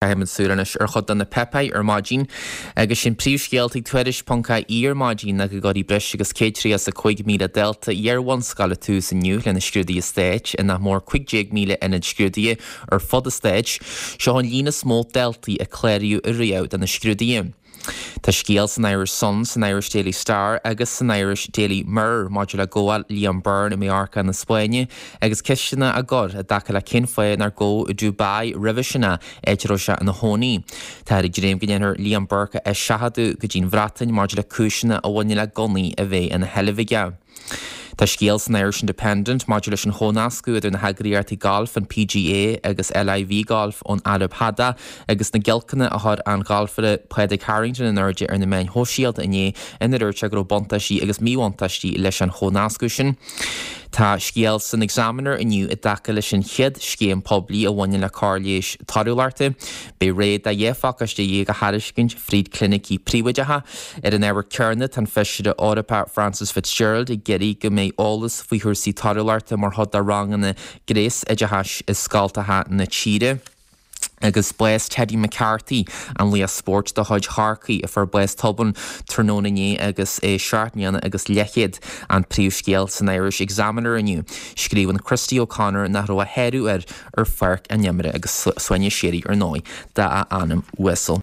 Caithfimid súil anois ar chuid de na páipéir ar maidin agus sin príomhscéalta ag Tuairisc.ie ar maidin ná go gcuirfidh breis agus 135,000 dalta iar-bhunscoile tús inniu lena scrúduithe stáit i nach mór 15,000 ionad scrúdaithe ar fud an stáit. Seo an líon is mó daltaí a cláraíodh ariamh do na scrúduithe. Tá scéal san Irish Sun, san Irish Daily Star agus san Irish Daily Mirror maidir le gabháil Liam Byrne i Mallorca na Spáinne agus ceisteanna á gcur i dtaca le cén fáth nár gabhadh i Dubai roimhe sin é, áit a raibh sé ina chónaí. Táthar ag dréim go ndéanfar Liam Burke a eiseachadadh go dtí'n Bhreatain maidir le cúiseanna a bhaineann le gunnaí a bheith ina sheilbh aige. Tá scéal san Irish Independent maidir leis an chomhnascadh idir na heagraíochtaí gailf, an PGA agus LIV Golf ón Araib Shádach agus na giolcanna a chuir an galfaire Pádraig Harrington in airde ar na meáin shóisialta inné ina dúirt sé go raibh buntáistí agus míbhuntáistí leis an chomhnascadh sin. Tá scéal san Examiner inniu i dtaca leis an chéad scéim poiblí a bhaineann le cóir leighis torthúlachta. Beidh rogha de 12 phacáiste a thairiscint fríd clinicí príobháideacha. Ar an ábhar céanna, tá an Feisire Eorpach Frances Fitzgerald ag iarraidh go mbeidh eolas faoi chúrsaí torthúlachta mar chuid de ranganna gnéasoideachais i scoltacha na tíre. Agus bás Teddy McCarthy, an laoch spóirt de chuid Chorcaí a fuair bás tobann tráthnóna inné agus é seacht mbliana agus leathchéad, an príomhscéal san Irish Examiner inniu. Scríobhann Christy O'Connor nach raibh a shárú air ar pháirc an imeartha agus suaimhneas síoraí ar ndóigh dá anam uasal.